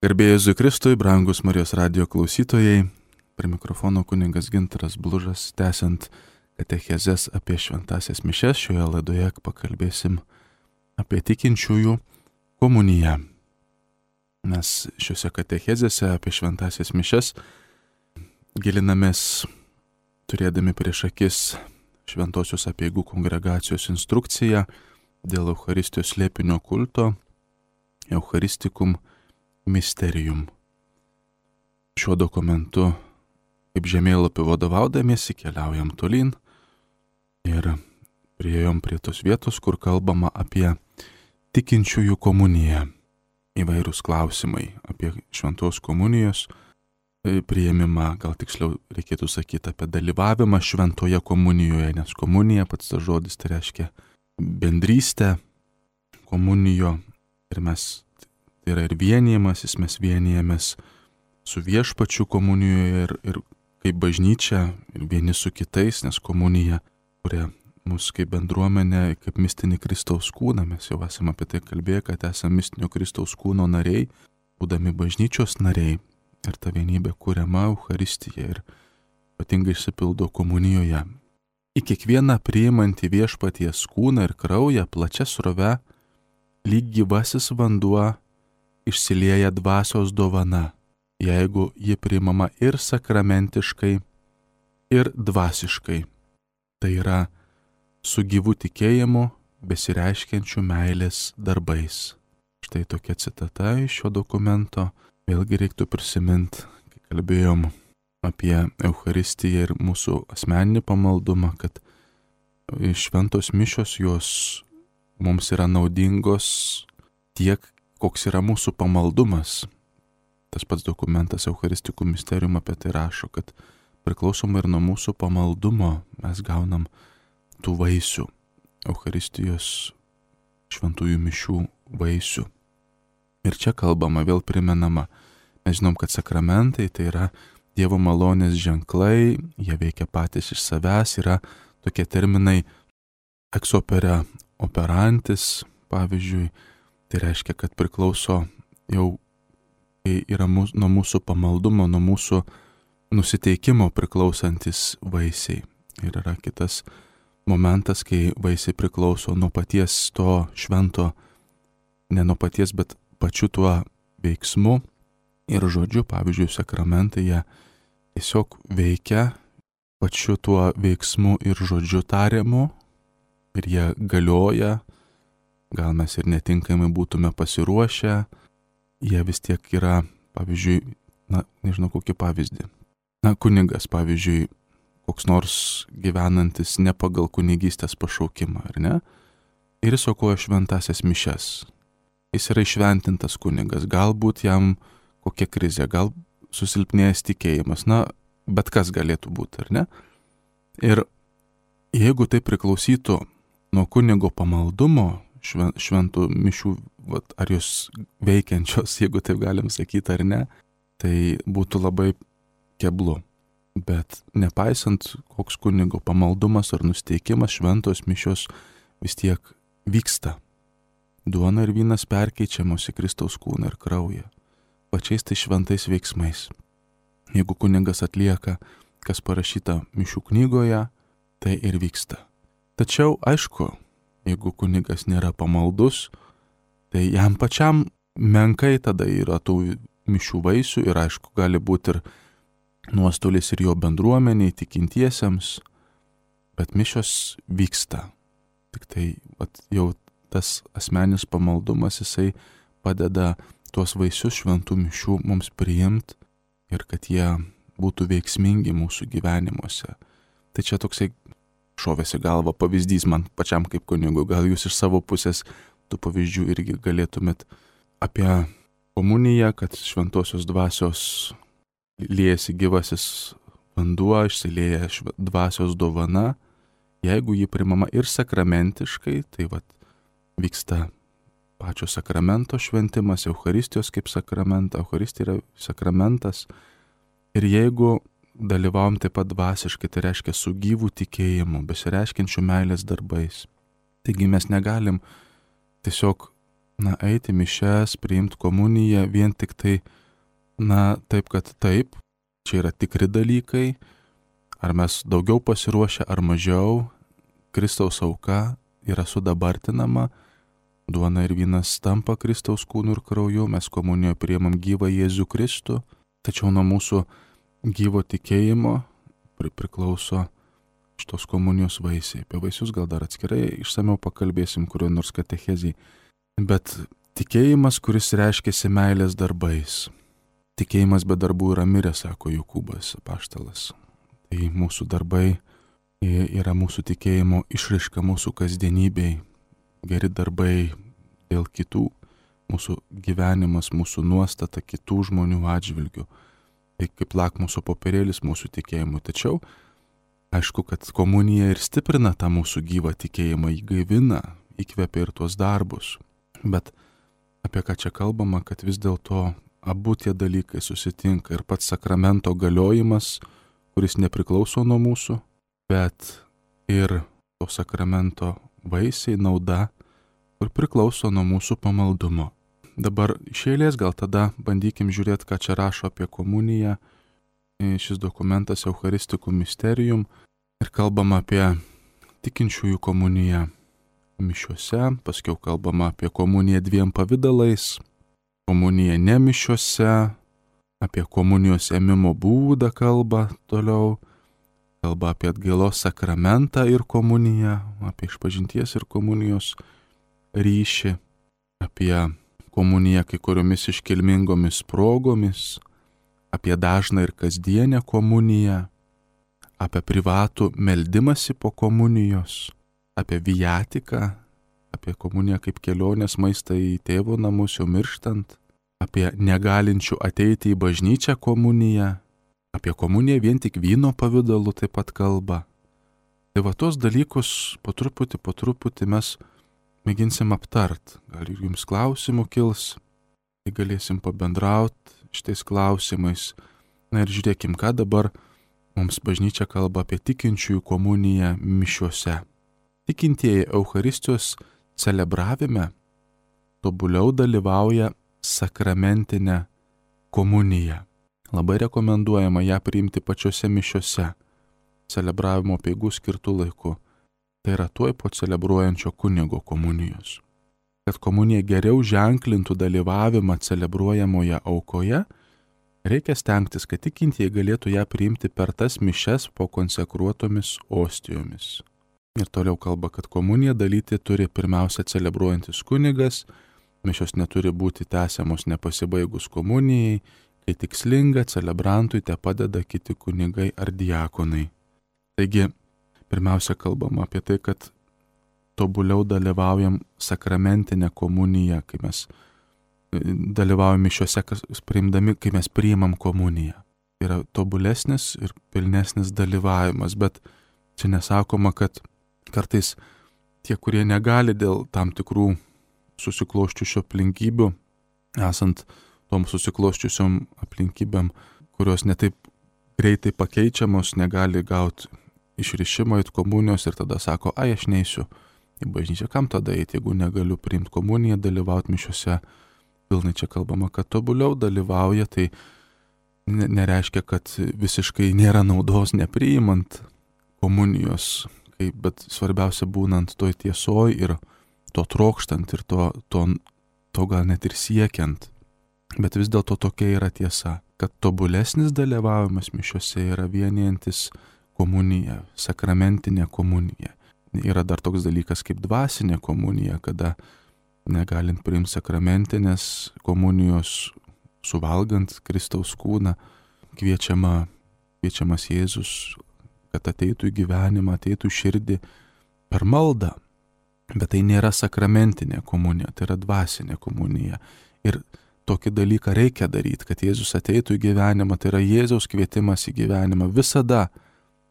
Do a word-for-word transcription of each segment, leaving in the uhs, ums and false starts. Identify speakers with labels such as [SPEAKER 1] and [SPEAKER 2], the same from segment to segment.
[SPEAKER 1] Garbė Jėzui Kristui, brangus Marijos radijo klausytojai, prie mikrofono kunigas Gintaras Blužas, tęsiant katechezes apie šventąsias mišias, šioje laidoje pakalbėsim apie tikinčiųjų komuniją. Mes šiuose katechezėse apie šventąsias mišias gilinamės turėdami prieš akis Šventosios Apeigų kongregacijos instrukciją dėl Eucharistijos slėpinio kulto, Eucharistikum Mysterium. Šiuo dokumentu, kaip žemėlapiu vadovaudamiesi, keliaujam tolyn ir priėjom prie tos vietos, kur kalbama apie tikinčiųjų komuniją. Įvairūs klausimai apie šventos komunijos priėmimą, gal tiksliau reikėtų sakyti apie dalyvavimą šventoje komunijoje, nes komunija, pats tas žodis, tai reiškia bendrystę komunijo ir mes tai yra ir vienijimasis, mes vienijamės su viešpačiu komunijoje ir, ir kaip bažnyčia ir vieni su kitais, nes komunija kuria mus kaip bendruomenė, kaip mistinį Kristaus kūną. Mes jau esame apie tai kalbėję, kad esame mistinio Kristaus kūno nariai, būdami bažnyčios nariai ir ta vienybė kuriama Eucharistija ir ypatingai išsipildo komunijoje. Į kiekvieną priimantį viešpaties kūną ir kraują plačia srove lyg gyvasis vanduo išsilieja dvasios dovana, jeigu ji priimama ir sakramentiškai, ir dvasiškai. Tai yra su gyvu tikėjimu besireiškiančių meilės darbais. Štai tokia citata iš šio dokumento. Vėlgi reiktų prisiminti, kai kalbėjom apie Eucharistiją ir mūsų asmeninį pamaldumą, kad šventos mišios jos mums yra naudingos tiek, koks yra mūsų pamaldumas. Tas pats dokumentas Eucharistikum Mysterium apie tai rašo, kad priklausomai ir nuo mūsų pamaldumo mes gaunam tų vaisių, Eucharistijos šventųjų mišių vaisių. Ir čia kalbama, vėl primenama, mes žinom, kad sakramentai tai yra Dievo malonės ženklai, jie veikia patys iš savęs, yra tokie terminai ex opere operantis, pavyzdžiui, tai reiškia, kad priklauso jau yra mūsų, nuo mūsų pamaldumo, nuo mūsų nusiteikimo priklausantis vaisiai. Ir yra kitas momentas, kai vaisiai priklauso nuo paties to švento, ne nuo paties, bet pačiu tuo veiksmu ir žodžiu. Pavyzdžiui, sakramentai jie tiesiog veikia pačiu tuo veiksmu ir žodžiu tariamu ir jie galioja. Gal mes ir netinkamai būtume pasiruošę, jie vis tiek yra, pavyzdžiui, na, nežinau kokį pavyzdį. Na, kunigas, pavyzdžiui, koks nors gyvenantis ne pagal kunigystės pašaukimą, ar ne? Ir jis aukoja šventąsias mišias. Jis yra išventintas kunigas, galbūt jam kokia krizė, gal susilpnėjęs tikėjimas, na, bet kas galėtų būti, ar ne? Ir jeigu tai priklausytų nuo kunigo pamaldumo, šventų mišių, vat, ar jos veikiančios, jeigu taip galim sakyti ar ne, tai būtų labai keblu. Bet nepaisant, koks kunigo pamaldumas ar nusteikimas, šventos mišios vis tiek vyksta. Duona ir vynas perkeičiamos į Kristaus kūną ir kraują, pačiais tai šventais veiksmais. Jeigu kunigas atlieka, kas parašyta mišių knygoje, tai ir vyksta. Tačiau, aišku, jeigu kunigas nėra pamaldus, tai jam pačiam menkai tada yra tų mišių vaisių ir aišku, gali būti ir nuostolis ir jo bendruomeniai, tikintiesiems, bet mišios vyksta. Tik tai vat, jau tas asmenis pamaldumas, jisai padeda tuos vaisius šventų mišių mums priimti ir kad jie būtų veiksmingi mūsų gyvenimuose. Tai čia toksai šovėsi galva pavyzdys man pačiam kaip kunigui. Gal jūs iš savo pusės tų pavyzdžių irgi galėtumėt apie komuniją, kad šventosios dvasios liejasi gyvasis vanduo, išsilieja dvasios dovana. Jeigu ji primama ir sakramentiškai, tai vat vyksta pačio sakramento šventimas, Eucharistijos kaip sakramento, Eucharistija yra sakramentas. Ir jeigu dalyvavom taip pat dvasiškai, tai reiškia su gyvu tikėjimu, besireiškiančių meilės darbais. Taigi mes negalim tiesiog na, eiti mišias, priimti komuniją vien tik tai, na, taip, kad taip, čia yra tikri dalykai, ar mes daugiau pasiruošę ar mažiau, Kristaus auka yra sudabartinama, duona ir vynas tampa Kristaus kūnu ir krauju, mes komunijoje priimam gyvą Jėzų Kristų, tačiau nuo mūsų gyvo tikėjimo priklauso šitos komunijos vaisiai. Apie vaisius gal dar atskirai išsamiau pakalbėsim kurio nors katechezijai. Bet tikėjimas, kuris reiškiasi meilės darbais. Tikėjimas be darbų yra miręs, sako Jokūbas apaštalas. Tai mūsų darbai yra mūsų tikėjimo išraiška mūsų kasdienybei. Geri darbai dėl kitų, mūsų gyvenimas, mūsų nuostata kitų žmonių atžvilgių. Tai kaip lakmuso popierėlis mūsų tikėjimui. Tačiau, aišku, kad komunija ir stiprina tą mūsų gyvą tikėjimą, įgaivina, įkvepia ir tuos darbus. Bet apie ką čia kalbama, kad vis dėlto abu tie dalykai susitinka ir pats sakramento galiojimas, kuris nepriklauso nuo mūsų, bet ir to sakramento vaisiai, nauda, kur priklauso nuo mūsų pamaldumo. Dabar iš eilės gal tada bandykim žiūrėti, ką čia rašo apie komuniją. Šis dokumentas Eucharistikų Mysterium ir kalbama apie tikinčiųjų komuniją mišiuose, paskiau kalbama apie komuniją dviem pavidalais, komuniją ne mišiuose, apie komunijos ėmimo būdą kalba toliau, kalba apie atgailos sakramentą ir komuniją, apie išpažinties ir komunijos ryšį, apie komuniją kai kuriomis iškilmingomis progomis, apie dažną ir kasdienę komuniją, apie privatų meldimąsi po komunijos, apie viatiką, apie komuniją kaip kelionės maistą į tėvo namus jau mirštant, apie negalinčių ateiti į bažnyčią komuniją, apie komuniją vien tik vyno pavidalu taip pat kalba. Tai va tos dalykus po truputį, po truputį mes mėginsim aptart. Gal ir jums klausimų kils, tai galėsim pabendrauti šitais klausimais. Na ir žiūrėkim, ką dabar mums bažnyčia kalba apie tikinčiųjų komuniją mišiuose. Tikintieji Eucharistijos celebravime tobuliau dalyvauja sakramentinę komuniją. Labai rekomenduojama ją priimti pačiose mišiuose, celebravimo peigų skirtų laiku. Tai yra tuoj po celebruojančio kunigo komunijos. Kad komunija geriau ženklintų dalyvavimą celebruojamoje aukoje, reikia stengtis, kad tikintieji galėtų ją priimti per tas mišias po konsekruotomis ostijomis. Ir toliau kalba, kad komuniją dalyti turi pirmiausia celebruojantis kunigas, mišios neturi būti tęsiamos nepasibaigus komunijai, kai tikslinga celebrantui te padeda kiti kunigai ar diakonai. Taigi, pirmiausia kalbama apie tai, kad tobuliau dalyvaujam sakramentinę komuniją, kai mes dalyvaujam mišiuose, priimdami, kai mes priimam komuniją. Tai yra tobulesnis ir pilnesnis dalyvavimas, bet čia nesakoma, kad kartais tie, kurie negali dėl tam tikrų susikloščiusių aplinkybių, esant tom susikloščiusiom aplinkybėm, kurios netaip greitai pakeičiamos, negali gauti išrišimo į komunijos ir tada sako, ai, aš neisiu į bažnyčią, kam tada eiti, jeigu negaliu priimti komuniją, dalyvauti mišiuose. Pilnai čia kalbama, kad tobuliau dalyvauja, tai nereiškia, kad visiškai nėra naudos nepriimant komunijos, kaip, bet svarbiausia būnant toj tiesoj ir to trokštant ir to, to, to gal net ir siekiant. Bet vis dėlto tokia yra tiesa, kad tobulesnis dalyvavimas mišiuose yra vienijantis komunija, sakramentinė komunija. Yra dar toks dalykas kaip dvasinė komunija, kada negalint priimti sakramentinės komunijos, suvalgant Kristaus kūną, kviečiama, kviečiamas Jėzus, kad ateitų į gyvenimą, ateitų į širdį per maldą. Bet tai nėra sakramentinė komunija, tai yra dvasinė komunija. Ir tokį dalyką reikia daryti, kad Jėzus ateitų į gyvenimą, tai yra Jėzaus kvietimas į gyvenimą visada.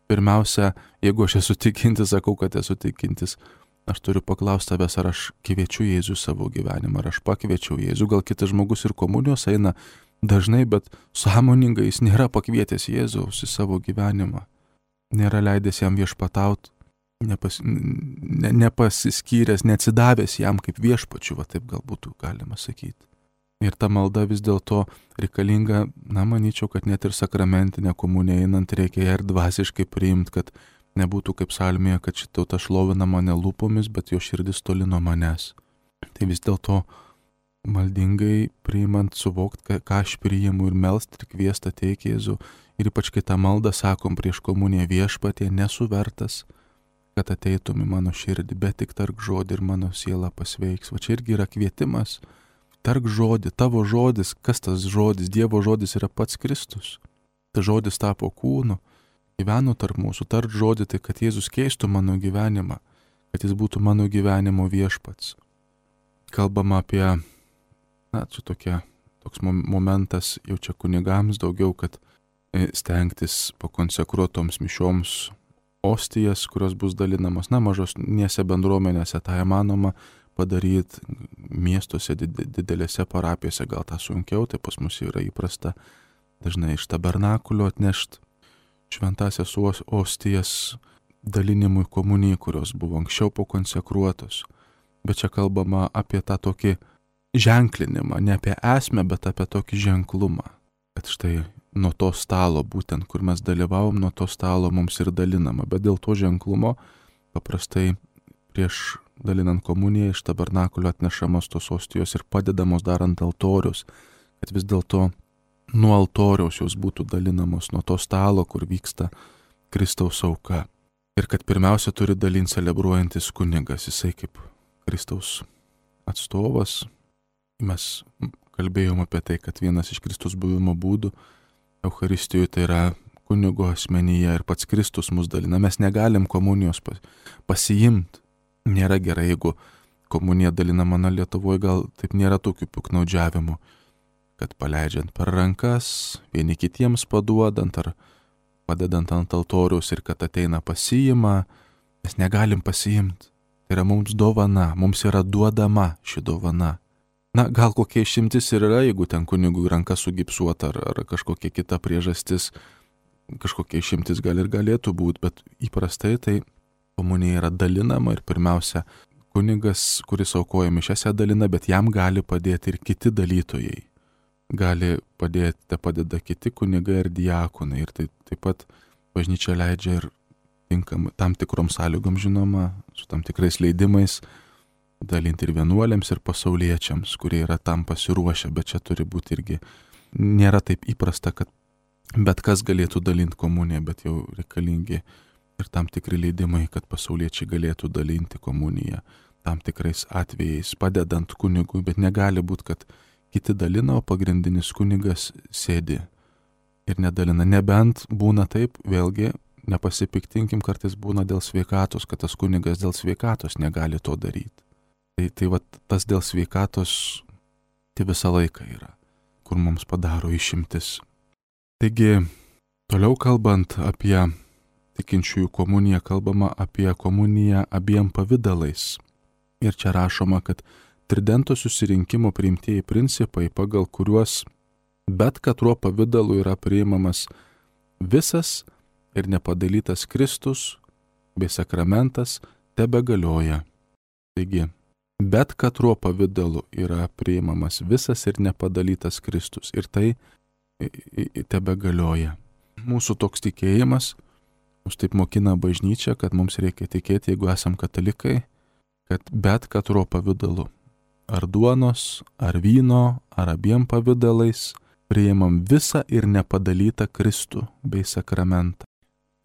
[SPEAKER 1] Pirmiausia, jeigu aš esu tikintis, sakau, kad esu tikintis, aš turiu paklausti tavęs, ar aš kviečiu Jėzų savo gyvenimą, ar aš pakviečiau Jėzų. Gal kitas žmogus ir komunijos eina dažnai, bet sąmoningai jis nėra pakvietęs Jėzaus į savo gyvenimą. Nėra leidęs jam viešpataut nepas, ne, nepasiskyręs, neatsidavęs jam kaip viešpačiu, va taip gal būtų galima sakyti. Ir ta malda vis dėlto reikalinga, na, manyčiau, kad net ir sakramentinė komunija einant reikia ją ir dvasiškai priimti, kad nebūtų kaip psalmėje, kad ši tauta šlovina mane lūpomis, bet jo širdis toli nuo manęs. Tai vis dėlto maldingai priimant, suvokti, ką aš priimu ir melst ir kviest ateik Jėzų. Ir ypač kai tą maldą sakom prieš komuniją viešpatie, nesu vertas, kad ateitum į mano širdį, bet tik tark žodį ir mano siela pasveiks. Va čia irgi yra kvietimas. Tark žodį, tavo žodis, kas tas žodis, Dievo žodis yra pats Kristus. Tas žodis tapo kūnu, gyveno tarp mūsų, tark žodį, tai kad Jėzus keistų mano gyvenimą, kad jis būtų mano gyvenimo viešpats. Kalbama apie, na, čia tokia, toks momentas jau čia kunigams daugiau, kad stengtis pakonsekruotoms mišioms ostijas, kurios bus dalinamos, na, mažosnėse bendruomenėse tą įmanoma padaryti, miestuose, didelėse parapijose gal tą sunkiau, tai pas mus yra įprasta dažnai iš tabernakulio atnešti šventasias ostijas dalinimui komunijai, kurios buvo anksčiau pakonsekruotos. Bet čia kalbama apie tą tokį ženklinimą, ne apie esmę, bet apie tokį ženklumą. Kad štai nuo to stalo, būtent kur mes dalyvavom, nuo to stalo mums ir dalinama. Bet dėl to ženklumo paprastai prieš dalinant komuniją iš tabernakulio atnešamos tos ostijos ir padedamos darant altorius, kad vis dėlto nuo altoriaus jos būtų dalinamos, nuo to stalo, kur vyksta Kristaus auka. Ir kad pirmiausia turi dalinti celebruojantis kunigas, jisai kaip Kristaus atstovas. Mes kalbėjom apie tai, kad vienas iš Kristus buvimo būdų Eucharistijoje tai yra kunigo asmenyje ir pats Kristus mus dalina. Mes negalim komunijos pasiimti. Nėra gerai, jeigu komunija dalinama, na, Lietuvoje gal taip nėra tokių piknaudžiavimų, kad paleidžiant per rankas, vieni kitiems paduodant ar padedant ant altoriaus ir kad ateina pasiima, mes negalim pasiimti. Tai yra mums dovana, mums yra duodama ši dovana. Na, gal kokia išimtis ir yra, jeigu ten kunigui ranka sugipsuota ar, ar kažkokia kita priežastis, kažkokia išimtis gal ir galėtų būti, bet įprastai tai komunija yra dalinama ir pirmiausia, kunigas, kuris aukoja mišias, ją dalina, bet jam gali padėti ir kiti dalytojai. Gali padėti, te padeda kiti kunigai ir diakonai. Ir tai taip pat bažnyčia leidžia ir tinkam, tam tikrom sąlygom, žinoma, su tam tikrais leidimais dalinti ir vienuoliams, ir pasauliečiams, kurie yra tam pasiruošę, bet čia turi būti irgi, nėra taip įprasta, kad bet kas galėtų dalinti komuniją, bet jau reikalingi ir tam tikri leidimai, kad pasauliečiai galėtų dalinti komuniją tam tikrais atvejais, padedant kunigui, bet negali būti, kad kiti dalina, o pagrindinis kunigas sėdi ir nedalina. Nebent būna taip, vėlgi, nepasipiktinkim, kartais būna dėl sveikatos, kad tas kunigas dėl sveikatos negali to daryti. Tai, tai va, tas dėl sveikatos tai visą laiką yra, kur mums padaro išimtis. Taigi, toliau kalbant apie tikinčiųjų komuniją, kalbama apie komuniją abiem pavidalais. Ir čia rašoma, kad Tridento susirinkimo priimtieji principai, pagal kuriuos bet katruo pavidalu yra priimamas visas ir nepadalytas Kristus bei sakramentas, tebegalioja. Taigi, bet katruo pavidalu yra priimamas visas ir nepadalytas Kristus ir tai tebegalioja. Mūsų toks tikėjimas, mus taip mokina bažnyčia, kad mums reikia tikėti, jeigu esam katalikai, kad bet katruo pavidalu, ar duonos, ar vyno, ar abiem pavidalais, priimam visą ir nepadalytą Kristų bei sakramentą.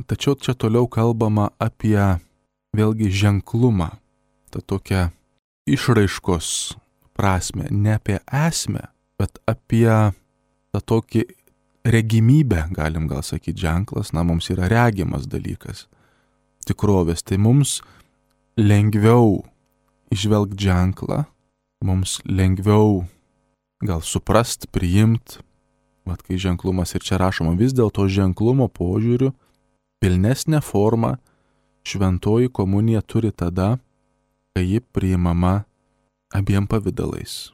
[SPEAKER 1] Tačiau čia toliau kalbama apie vėlgi ženklumą, tą tokią išraiškos prasme, ne apie esmę, bet apie tą tokį regimybę, galim gal sakyti, ženklas, na, mums yra regimas dalykas, tikrovės, tai mums lengviau išvelgti ženklą, mums lengviau gal suprast, priimt, vat kai ženklumas ir čia rašoma, vis dėlto ženklumo požiūriu pilnesnę formą šventoji komunija turi tada, kai ji priimama abiem pavidalais.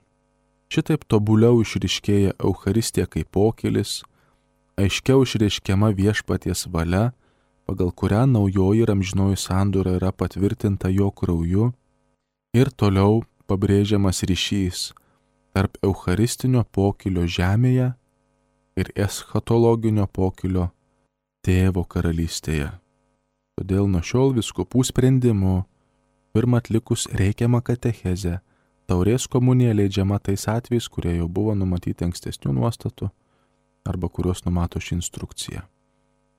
[SPEAKER 1] Šitaip tobuliau išryškėja Eucharistija kaip pokylis, aiškiau išreiškiama viešpaties valia pagal kurią naujoji ir amžinoji sandora yra patvirtinta jo krauju, ir toliau pabrėžiamas ryšys tarp eucharistinio pokylio žemėje ir eschatologinio pokylio Tėvo karalystėje. Todėl nuo šiol vyskupų sprendimu, pirmą atlikus reikiamą katechezę, taurės komunija leidžiama tais atvejais, kurie jau buvo numatyti ankstesnių nuostatų arba kurios numato ši instrukcija.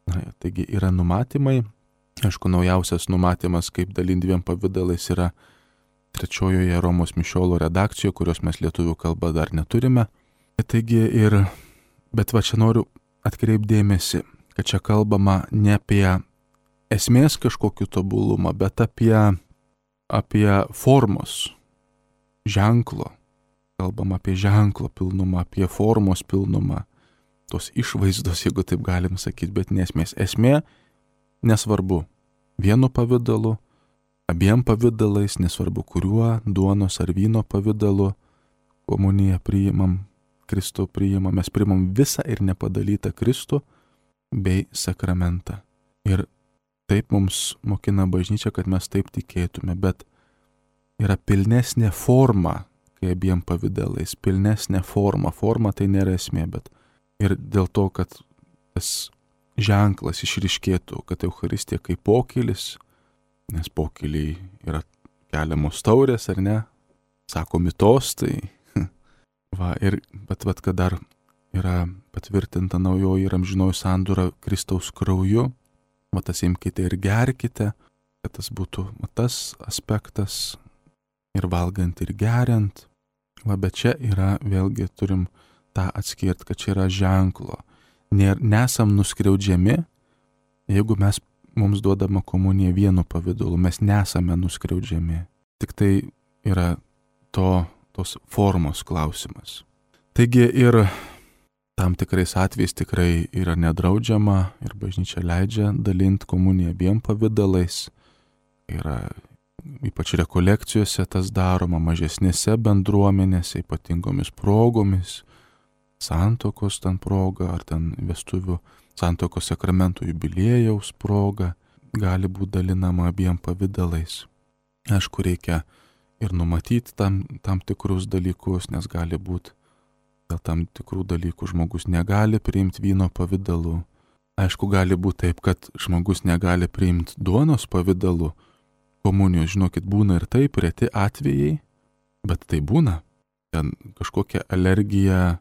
[SPEAKER 1] Na, taigi yra numatymai. Aišku, naujausias numatymas, kaip dalint dviem pavydalais, yra trečiojoje Romos mišiolo redakcijoje, kurios mes lietuvių kalbą dar neturime. Taigi ir, bet va čia noriu atkreipdėmėsi, kad čia kalbama ne apie esmės kažkokį tobulumą, bet apie, apie formos ženklo. Kalbam apie ženklo pilnumą, apie formos pilnumą, tos išvaizdos, jeigu taip galim sakyti, bet nesmės. Esmė nesvarbu. Vienu pavidalu, abiem pavidalais, nesvarbu kuriuo, duonos ar vyno pavidalu, komuniją priimam, Kristų priimam, mes priimam visą ir nepadalytą Kristų bei sakramentą. Ir taip mums mokina bažnyčia, kad mes taip tikėtume, bet yra pilnesnė forma, kai abiem pavidalais, pilnesnė forma. Forma tai nėra esmė, bet ir dėl to, kad tas ženklas išryškėtų, kad Eucharistija kaip pokylis, nes pokyliai yra keliamos taurės, ar ne, sakomi tostai. Va, ir, bet vat, kad dar yra patvirtinta naujoji ir amžinoji sandora Kristaus krauju, va tas imkite ir gerkite, kad tas būtų va, tas aspektas ir valgant ir geriant. Va, bet čia yra, vėlgi turim tą atskirti, kad čia yra ženklo. Nesam nuskriaudžiami, jeigu mes, mums duodama komunija vienu pavidalu, mes nesame nuskriaudžiami. Tik tai yra to, tos formos klausimas. Taigi ir tam tikrais atvejais tikrai yra nedraudžiama ir bažnyčia leidžia dalinti komuniją abiem pavidalais. Yra ypač rekolekcijose tas daroma, mažesnėse bendruomenėse, ypatingomis progomis, santuokos ten proga, ar ten vestuvių santuokos sakramentų jubiliejaus proga, gali būti dalinama abiem pavidalais. Aišku, reikia ir numatyti tam, tam tikrus dalykus, nes gali būti dėl tam tikrų dalykų žmogus negali priimti vyno pavidalu. Aišku, gali būti taip, kad žmogus negali priimti duonos pavidalu komunijos. Žinokit, būna ir taip, reti atvejai, bet tai būna. Ten kažkokia alergija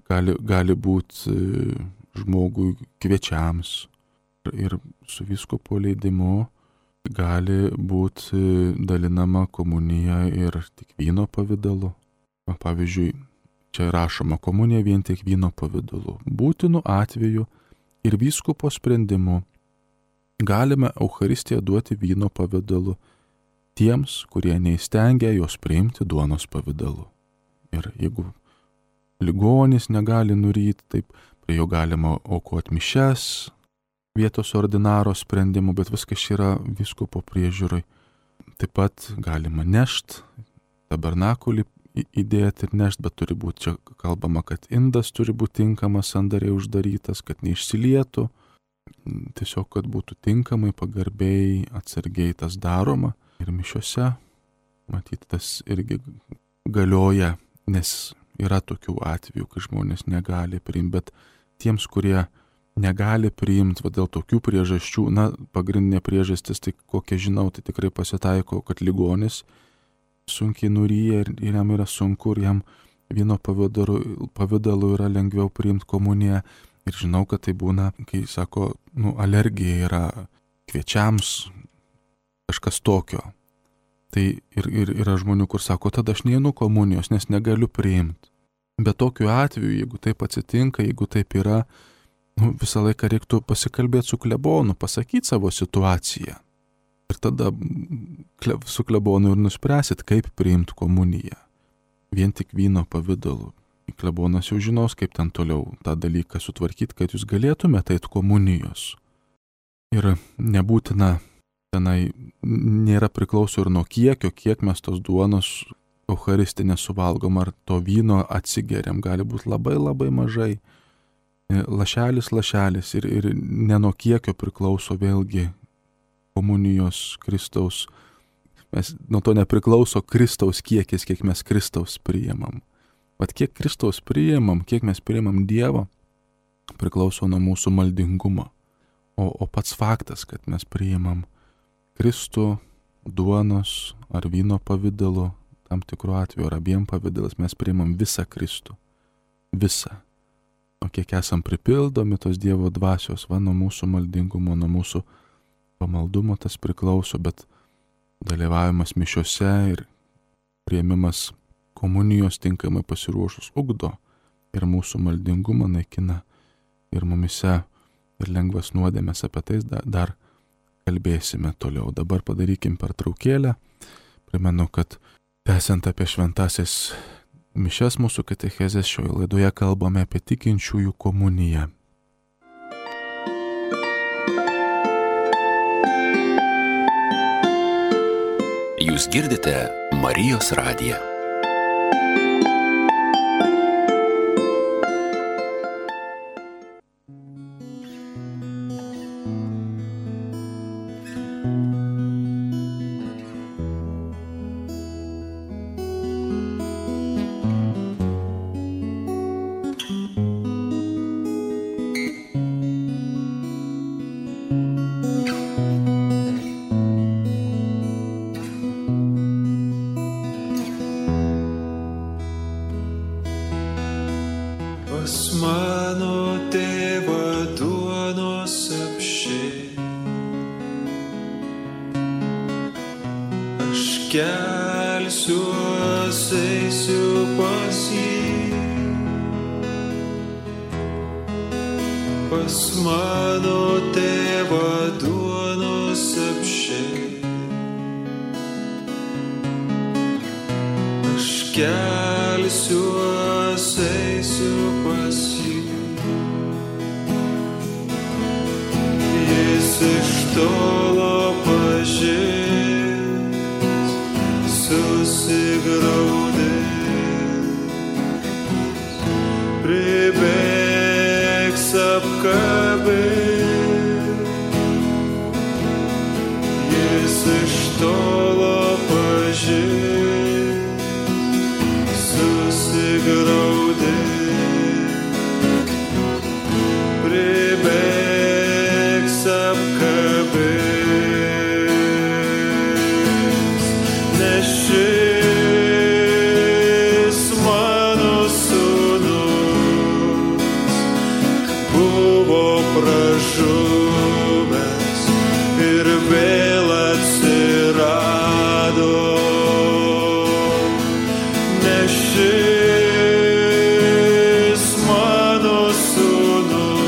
[SPEAKER 1] gali, gali būti žmogui kviečiams ir su vyskupo leidimu gali būti dalinama komunija ir tik vyno pavidalu. Pavyzdžiui, čia rašoma komunija vien tik vyno pavidalu. Būtinu atveju ir vyskupo sprendimu galime Eucharistiją duoti vyno pavidalu tiems, kurie neįstengia jos priimti duonos pavidalu. Ir jeigu ligonis negali nuryti, taip prie jo galima aukoti mišias, vietos ordinaro sprendimu, bet viskas yra vyskupo priežiūrai. Taip pat galima nešt, tabernakulį įdėti ir nešt, bet turi būti čia kalbama, kad indas turi būti tinkamas, sandariai uždarytas, kad neišsilietų. Tiesiog, kad būtų tinkamai, pagarbiai, atsargiai tas daroma. Ir mišiose, matyt, tas irgi galioja, nes yra tokių atvejų, kai žmonės negali priimti, bet tiems, kurie negali priimti, va dėl tokių priežasčių, na, pagrindinė priežastis, tai kokią žinau, tai tikrai pasitaiko, kad ligonis sunkiai nuryja ir, ir jam yra sunku, ir jam vyno pavidalu, pavidalu yra lengviau priimti komuniją. Ir žinau, kad tai būna, kai sako, nu, alergija yra kviečiams, kažkas tokio. Tai ir, ir yra žmonių, kur sako, tada aš neinu komunijos, nes negaliu priimti. Bet tokiu atveju, jeigu taip atsitinka, jeigu taip yra, nu, visą laiką reiktų pasikalbėti su klebonu, pasakyti savo situaciją. Ir tada su klebonu ir nuspręsit, kaip priimti komuniją. Vien tik vyno pavidalu. Klebonas jau žinos, kaip ten toliau tą dalyką sutvarkyti, kad jūs galėtumėte eiti komunijos. Ir nebūtina, tenai nėra priklauso ir nuo kiekio, kiek mes tos duonos eucharistinės suvalgom, ar to vyno atsigeriam, gali būti labai labai mažai. lašelis lašelis ir, ir ne nuo kiekio priklauso vėlgi komunijos Kristaus. Mes nuo to nepriklauso Kristaus kiekis, kiek mes Kristaus priimam. Vat kiek Kristaus priimam, kiek mes priimam Dievo, priklauso nuo mūsų maldingumo. O, o pats faktas, kad mes priimam Kristų duonos ar vyno pavidalu, tam tikru atveju ar abiem pavidalas, mes priimam visą Kristų. Visą. O kiek esam pripildomi tos Dievo dvasios, va nuo mūsų maldingumo, nuo mūsų pamaldumo tas priklauso, bet dalyvavimas mišiose ir priėmimas komunijos tinkamai pasiruošus ugdo ir mūsų maldingumą naikina ir mumise ir lengvas nuodėmes. Apie tai dar, dar kalbėsime toliau. Dabar padarykim pertraukėlę. Primenu, kad tęsiant apie šventąsias mišias mūsų katechezės, šioje laidoje kalbame apie tikinčiųjų komuniją.
[SPEAKER 2] Jūs girdite Marijos radiją.
[SPEAKER 3] Kelsiuos, eisiu pas jį, pas mano tėvą duonos apsčiai. Aš kelsiuos, eisiu pas jį, jis iš tolo pažins. Susigraudės, pribėgs apkabins, jis iš tolo pažins, susigraudės, pribėgs apkabins. Šis mano sūnus buvo pražuvęs ir vėl atsirado, nes šis mano sūnus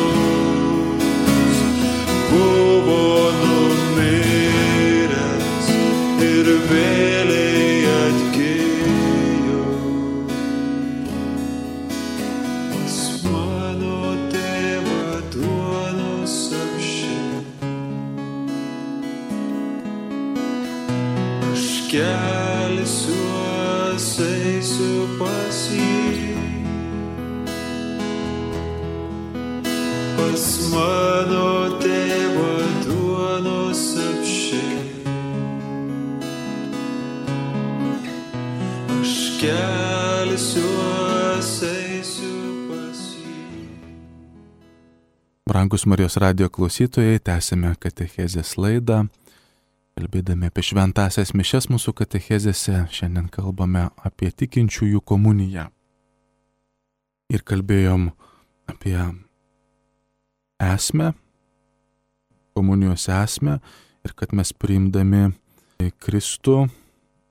[SPEAKER 3] buvo numiręs ir vėl atgijo. Pas mano tėvą duonos apsčiai. Aš kelsiuos, eisiu pas jį, pas mano tėvą duonos apsčiai. Kelsiuos, eisiu pas jį.
[SPEAKER 1] Brangus Marijos radijo klausytojai, tęsime katechezės laidą. Kalbėdami apie šventąsias mišias mūsų katechezėse, šiandien kalbame apie tikinčiųjų komuniją. Ir kalbėjom apie esmę, komunijos esmę ir kad mes priimdami Kristų,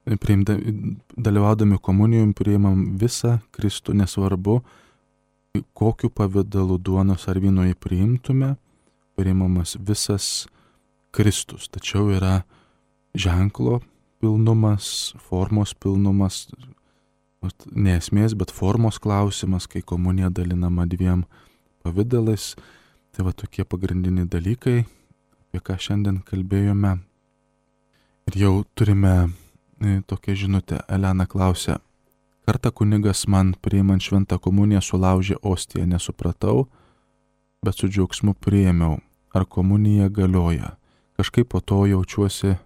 [SPEAKER 1] dalyvaudami komunijom priimam visą Kristų, nesvarbu, kokiu pavidalu duonos ar vyno jį priimtume, priimamas visas Kristus. Tačiau yra ženklo pilnumas, formos pilnumas, ne esmės, bet formos klausimas, kai komunija dalinama dviem pavidalais. Tai va tokie pagrindiniai dalykai, apie ką šiandien kalbėjome. Ir jau turime tokia žinutė. Elena klausia, kartą kunigas man priimant šventą komuniją sulaužė ostiją, nesupratau, bet su džiaugsmu priėmiau. Ar komunija galioja? Kažkaip po to jaučiuosi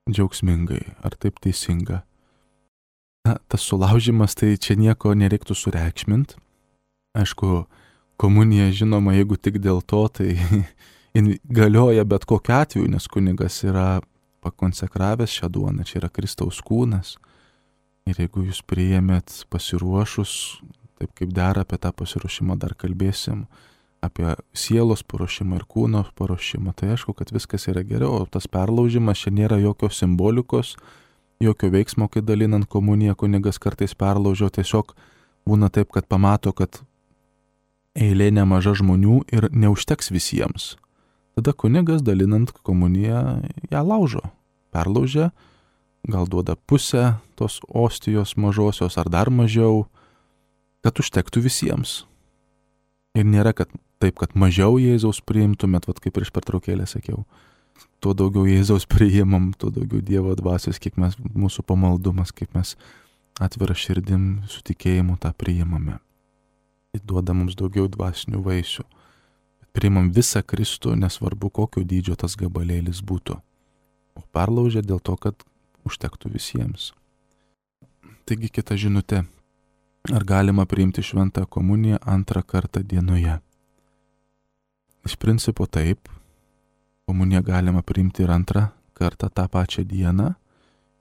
[SPEAKER 1] džiaugsmingai. Ar taip teisinga? Na, tas sulaužimas, tai čia nieko nereiktų sureikšmint. Aišku, komunija, žinoma, jeigu tik dėl to, tai galioja bet kokiu atveju, nes kunigas yra pakonsekravęs šią duoną, čia yra Kristaus kūnas. Ir jeigu jūs priėmėt pasiruošus, taip kaip dera, apie tą pasiruošimą dar kalbėsim, apie sielos paruošimą ir kūno paruošimą, tai aišku, kad viskas yra geriau, o tas perlaužimas čia nėra jokios simbolikos, jokio veiksmo, kai dalinant komuniją kunigas kartais perlaužio, tiesiog būna taip, kad pamato, kad eilė nemaža žmonių ir neužteks visiems. Tada kunigas dalinant komuniją ją laužo, perlaužia, gal duoda pusę tos ostijos mažosios ar dar mažiau, kad užtektų visiems. Ir nėra kad taip, kad mažiau Jėzaus priimtumėt, vat kaip prieš pertraukėlę sakiau. Tuo daugiau Jėzaus priimam, tuo daugiau Dievo dvasios, kiek mes, mūsų pamaldumas, kaip mes atvira širdim su tikėjimu tą priimame. Tai duoda mums daugiau dvasinių vaisių. Priimam visą Kristų, nesvarbu kokio dydžio tas gabalėlis būtų. O perlaužia dėl to, kad užtektų visiems. Taigi kita žinutė. Ar galima priimti šventą komuniją antrą kartą dienoje? Iš principo taip. Komuniją galima priimti ir antrą kartą tą pačią dieną,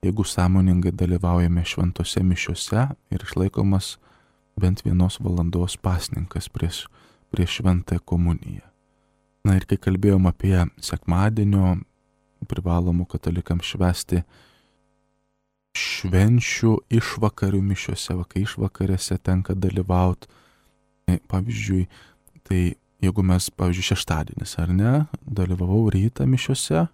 [SPEAKER 1] jeigu sąmoningai dalyvaujame šventose mišiose ir išlaikomas bent vienos valandos pasninkas prieš, prieš šventą komuniją. Na ir kai kalbėjom apie sekmadienio privalomų katalikams švęsti švenčių išvakarių mišiose, va, kai išvakarėse tenka dalyvauti. Pavyzdžiui, tai jeigu mes, pavyzdžiui, šeštadienis, ar ne, dalyvavau rytą mišiose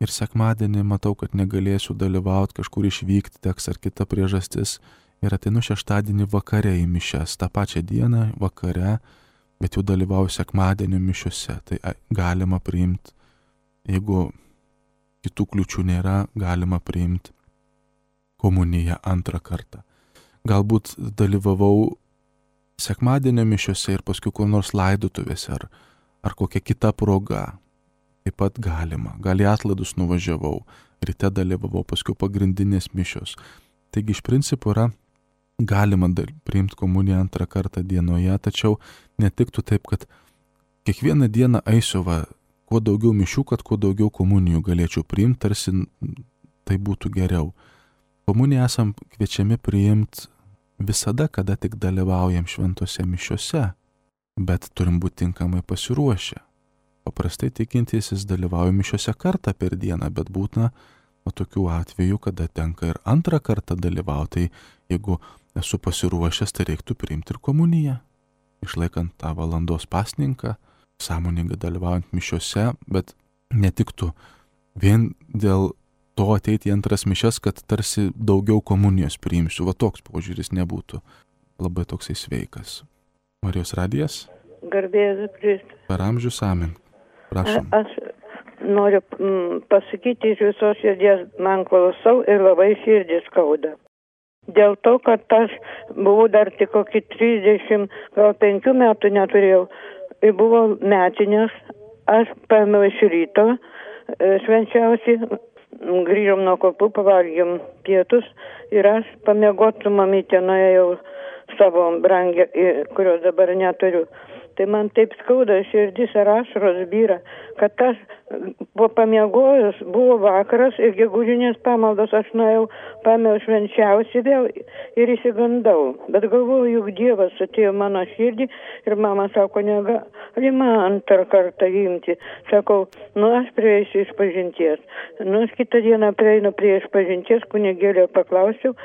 [SPEAKER 1] ir sekmadienį matau, kad negalėsiu dalyvauti, kažkur išvykti teks ar kita priežastis ir ateinu šeštadienį vakare į mišes, tą pačią dieną vakare, bet jau dalyvauju sekmadienio mišiose. Tai galima priimti, jeigu kitų kliučių nėra, galima priimti komuniją antrą kartą. Galbūt dalyvavau sekmadienio mišiose ir paskui kur nors laidotuvėse ar, ar kokia kita proga. Taip pat galima. Gal į atlaidus nuvažiavau, ryte dalyvavau, paskui pagrindinės mišios. Taigi iš principo yra galima priimti komuniją antrą kartą dienoje, tačiau netiktų taip, kad kiekvieną dieną eisiu va, kuo daugiau mišių, kad kuo daugiau komunijų galėčiau priimti, tarsi tai būtų geriau. Komuniją esam kviečiami priimti visada, kada tik dalyvaujam šventose mišiose, bet turim būti tinkamai pasiruošę. Paprastai tikintysis dalyvauja mišiose kartą per dieną, bet būtina o tokių atvejų, kada tenka ir antrą kartą dalyvauti, tai jeigu esu pasiruošęs, tai reiktų priimti ir komuniją, išlaikant tą valandos pasninką, sąmoningai dalyvaujant mišiose, bet netiktų vien dėl to ateiti į antras mišias, kad tarsi daugiau komunijos priimsiu. Va toks požiūris nebūtų labai toksai sveikas. Marijos radijas?
[SPEAKER 4] Garbėsiu Kristų.
[SPEAKER 1] Per amžius amen. Prašom.
[SPEAKER 4] A, aš noriu m, pasakyti iš visos širdies, man klausau ir labai širdį skauda. Dėl to, kad aš buvau dar tik kokį trisdešimt, gal penkių metų neturėjau. Ir buvo metinės, aš paėmiau iš ryto, švenčiausiai, grįžom nuo kopų, pavalgėm pietus ir aš pamiegot su mamytė nuėjau savo brangę, kurios dabar neturiu. Tai man taip skauda širdis ir ašaros byra, kad aš po pamiegojus buvo vakaras ir gegužinės pamaldos aš nuėjau, paėmiau švenčiausiai vėl ir išsigandau. Bet galvoju, juk Dievas atėjo mano širdį ir mama sako, negalima antrą kartą imti. Sakau, nu aš prieisiu iš pažinties. Nu aš kitą dieną prieinu prie iš pažinties, kunigėlio paklausiau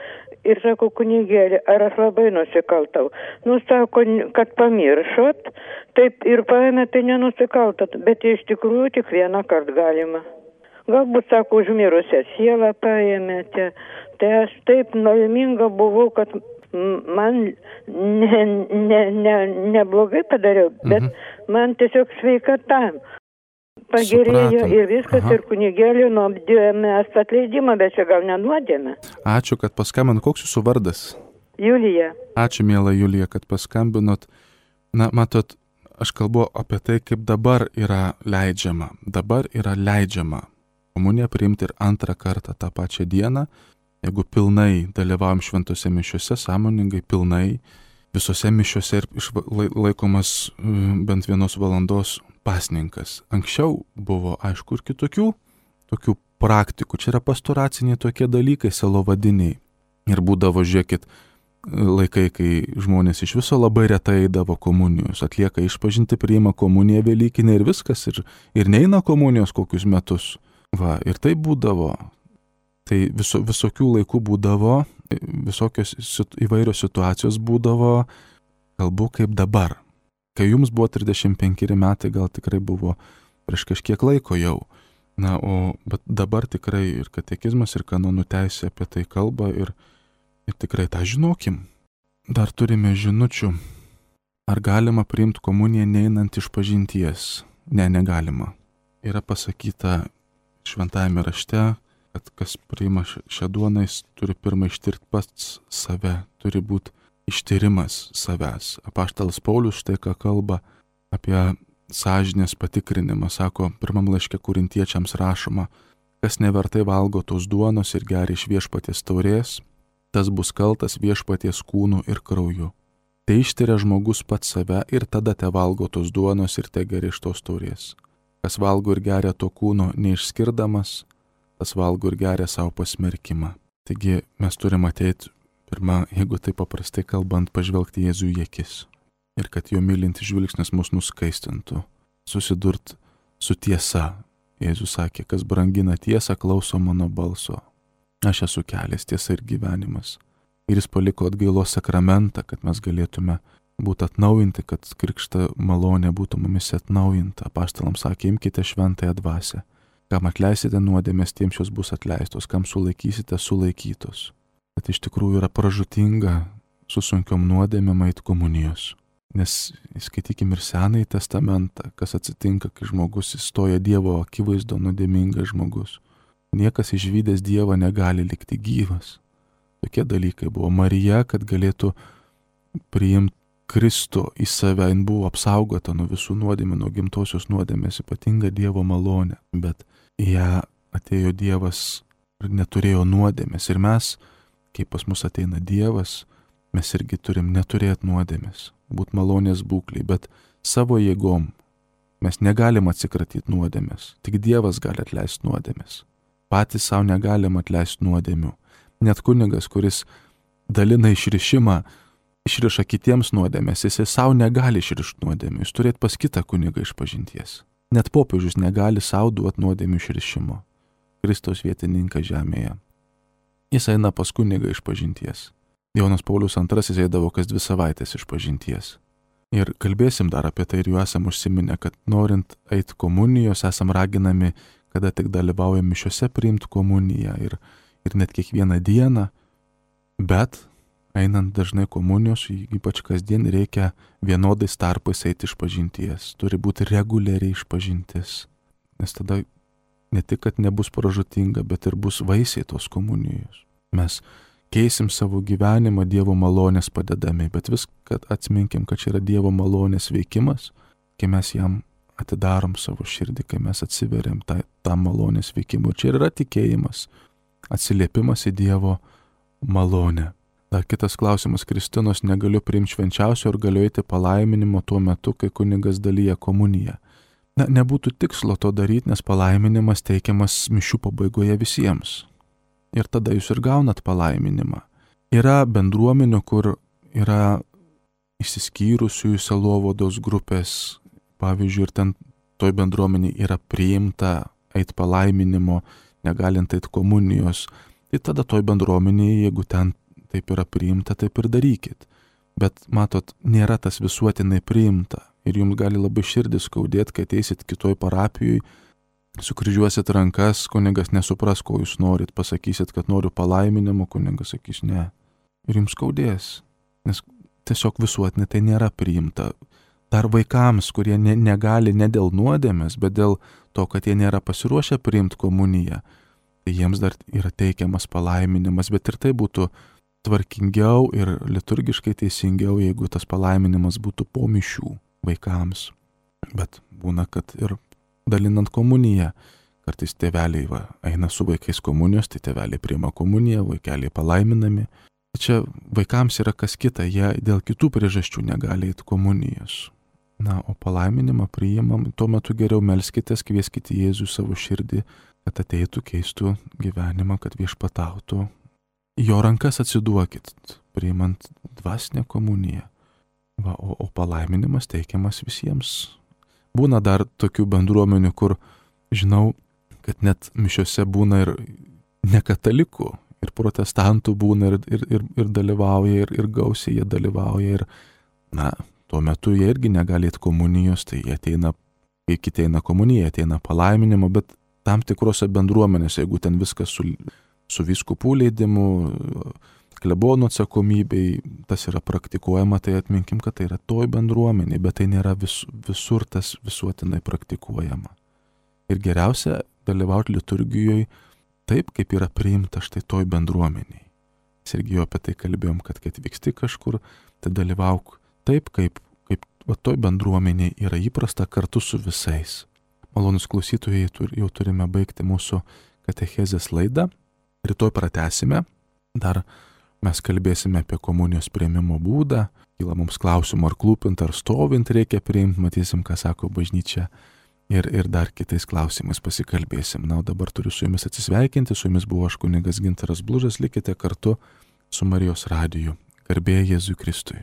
[SPEAKER 4] ir sakau, kunigėlė, ar aš labai nusikaltau. Nu sako, kad pamiršot, taip ir paėmė, tai nenusikaltat, bet iš tikrųjų tik vieną kartą galima. Galbūt, sako, užmirusią sielą paėmėte. Tai aš taip nelaiminga buvau, kad man ne, ne, ne, neblogai padariau, bet mhm. man tiesiog sveikata pagerėjo. Supratom. Ir viskas. Aha. Ir kunigėlį nuodėmė atleidimą, bet čia gal nenuodėmė.
[SPEAKER 1] Ačiū, kad paskambinot. Koks jūsų vardas?
[SPEAKER 4] Julija.
[SPEAKER 1] Ačiū, miela Julija, kad paskambinot. Na, matot, aš kalbu apie tai, kaip dabar yra leidžiama. Dabar yra leidžiama komuniją priimti ir antrą kartą tą pačią dieną, jeigu pilnai dalyvaujam šventose mišiuose, sąmoningai, pilnai, visose mišiuose ir laikomas bent vienos valandos pasninkas. Anksčiau buvo, aišku, ir kitokių tokių praktikų. Čia yra pastoraciniai tokie dalykai, selovadiniai. Ir būdavo, žiūrėkit, laikai, kai žmonės iš viso labai retai eidavo komunijos, atlieka išpažinti, priima komuniją velykinę ir viskas, ir, ir neina komunijos kokius metus. Va, ir tai būdavo. Tai viso, visokių laikų būdavo, visokios įvairios situacijos būdavo, kalbu kaip dabar. Kai jums buvo trisdešimt penkeri metai, gal tikrai buvo prieš kažkiek laiko jau. Na, o bet dabar tikrai ir katekizmas, ir kanonų teisė apie tai kalba ir, ir tikrai tą žinokim. Dar turime žinučių. Ar galima priimti komuniją neinant išpažinties? Ne, negalima. Yra pasakyta šventajame rašte, kad kas priima šią duoną, jis turi pirmą ištirti pats save, turi būti ištyrimas savęs. Apaštalas Paulius štai ką kalba apie sąžinės patikrinimą, sako, pirmam laiške korintiečiams rašoma, kas nevertai valgo tos duonos ir geria iš viešpaties taurės, tas bus kaltas viešpaties kūnu ir krauju. Tai ištiria žmogus pats save ir tada te valgo tos duonos ir te geria iš tos taurės. Kas valgo ir geria to kūno neišskirdamas, tas valgo ir geria savo pasmerkimą. Taigi mes turime ateiti, pirmą, jeigu tai paprastai kalbant, pažvelgti Jėzų į akis. Ir kad jo mylintis žvilgsnis mus nuskaistintų, susidurt su tiesa. Jėzus sakė, kas brangina tiesą, klauso mano balso. Aš esu kelias, tiesa ir gyvenimas. Ir jis paliko atgailos sakramentą, kad mes galėtume būti atnaujinti, kad krikšto malonė būtų mumis atnaujinta. Apaštalams sakė, imkite šventąją dvasią. Kam atleisite nuodėmės, tiems jos bus atleistos, kam sulaikysite, sulaikytos. Bet iš tikrųjų yra pražūtinga su sunkiom nuodėmėm eit komunijos. Nes skaitykim ir Senąjį testamentą, kas atsitinka, kai žmogus įstoja Dievo akivaizdo, nuodėmingas žmogus. Niekas išvydęs Dievą negali likti gyvas. Tokie dalykai buvo. Marija, kad galėtų priimti Kristų į save, jin buvo apsaugota nuo visų nuodėmių, nuo gimtosios nuodėmės, ypatinga Dievo malonė. Bet į ją atėjo Dievas ir neturėjo nuodėmės. Ir mes, kai pas mus ateina Dievas, mes irgi turim neturėti nuodėmės, būt malonės būklei, bet savo jėgom mes negalim atsikratyti nuodėmės. Tik Dievas gali atleisti nuodėmės. Patys savo negalim atleisti nuodėmių. Net kunigas, kuris dalina išrišimą, išriša kitiems nuodėmės, jis savo negali išrišti nuodėmių. Jis turėtų pas kitą kunigą išpažinties. Net popiežius negali savo duoti nuodėmių išrišimo. Kristaus vietininkas žemėje. Jis eina pas kunigą išpažinties. Jonas Paulius antrasis eidavo kas dvi savaitės išpažinties. Ir kalbėsim dar apie tai ir jau esam užsiminę, kad norint eiti komunijos, esam raginami, kada tik dalyvaujam mišiuose, priimti komuniją ir, ir net kiekvieną dieną, bet einant dažnai komunijos, ypač kasdien, reikia vienodais tarpais eiti išpažinties. Turi būti reguliariai išpažintis. Nes tada ne tik, kad nebus pražūtinga, bet ir bus vaisiai tos komunijos. Mes keisim savo gyvenimą Dievo malonės padedami, bet viską atsiminkim, kad čia yra Dievo malonės veikimas, kai mes jam atidarom savo širdį, kai mes atsiveriam tą, tą malonės veikimą. Ir čia yra tikėjimas, atsiliepimas į Dievo malonę. Dar kitas klausimas, Kristinos, negaliu priimti švenčiausio ir galiu eiti palaiminimo tuo metu, kai kunigas dalyja komuniją. Na, nebūtų tikslo to daryti, nes palaiminimas teikiamas mišių pabaigoje visiems. Ir tada jūs ir gaunat palaiminimą. Yra bendruomenių, kur yra išsiskyrusiųjų sielovados grupės, pavyzdžiui, ir ten toj bendruomeniai yra priimta eit palaiminimo, negalint eit komunijos. Tai tada toj bendruomeniai, jeigu ten taip yra priimta, taip ir darykit. Bet matot, nėra tas visuotinai priimta. Ir jums gali labai širdis skaudėti, kai ateisit kitoj parapijoj, sukryžiuosit rankas, kunigas nesupras, ko jūs norit, pasakysit, kad noriu palaiminimo, kunigas sakys ne. Ir jums skaudės, nes tiesiog visuotinai tai nėra priimta. Dar vaikams, kurie ne, negali ne dėl nuodėmės, bet dėl to, kad jie nėra pasiruošę priimti komuniją, tai jiems dar yra teikiamas palaiminimas, bet ir tai būtų tvarkingiau ir liturgiškai teisingiau, jeigu tas palaiminimas būtų po mišių. vaikams. Bet būna, kad ir dalinant komuniją, kartais tėveliai va, eina su vaikais komunijos, tai tėveliai priima komuniją, vaikeliai palaiminami. Čia vaikams yra kas kita, jie dėl kitų priežasčių negali eiti komunijos. Na, o palaiminimą priimam, tuo metu geriau melskitės, kvieskite Jėzų savo širdį, kad ateitų, keistų gyvenimą, kad viešpatautų. Jo rankas atsiduokit, priimant dvasinę komuniją. Va, o, o palaiminimas teikiamas visiems. Būna dar tokių bendruomenių, kur žinau, kad net mišiose būna ir nekatalikų, ir protestantų būna, ir, ir, ir, ir dalyvauja, ir, ir gausiai jie dalyvauja. Ir, na, tuo metu jie irgi negali eiti komunijos, tai jie ateina, kai kiti eina komuniją, ateina palaiminimo, bet tam tikrose bendruomenėse, jeigu ten viskas su, su vyskupų leidimu, klebonų atsakomybei, tas yra praktikuojama, tai atminkim, kad tai yra toj bendruomenė, bet tai nėra vis, visur tas visuotinai praktikuojama. Ir geriausia dalyvauti liturgijoje taip, kaip yra priimta štai toj bendruomeniai. Mes irgi jau apie tai kalbėjom, kad kai atvyksti kažkur, tai dalyvauk taip, kaip, kaip va, toj bendruomeniai yra įprasta kartu su visais. Malonus klausytojai, jau turime baigti mūsų katechezės laidą. Rytoj pratęsime. Dar mes kalbėsime apie komunijos priėmimo būdą. Kyla mums klausimų, ar klūpint, ar stovint reikia priimti. Matysim, ką sako bažnyčia. Ir, ir dar kitais klausimais pasikalbėsim. Na, o dabar turiu su jumis atsisveikinti. Su jumis buvo aš kunigas Gintaras Blužas. Likite kartu su Marijos radiju. Garbė Jėzui Kristui.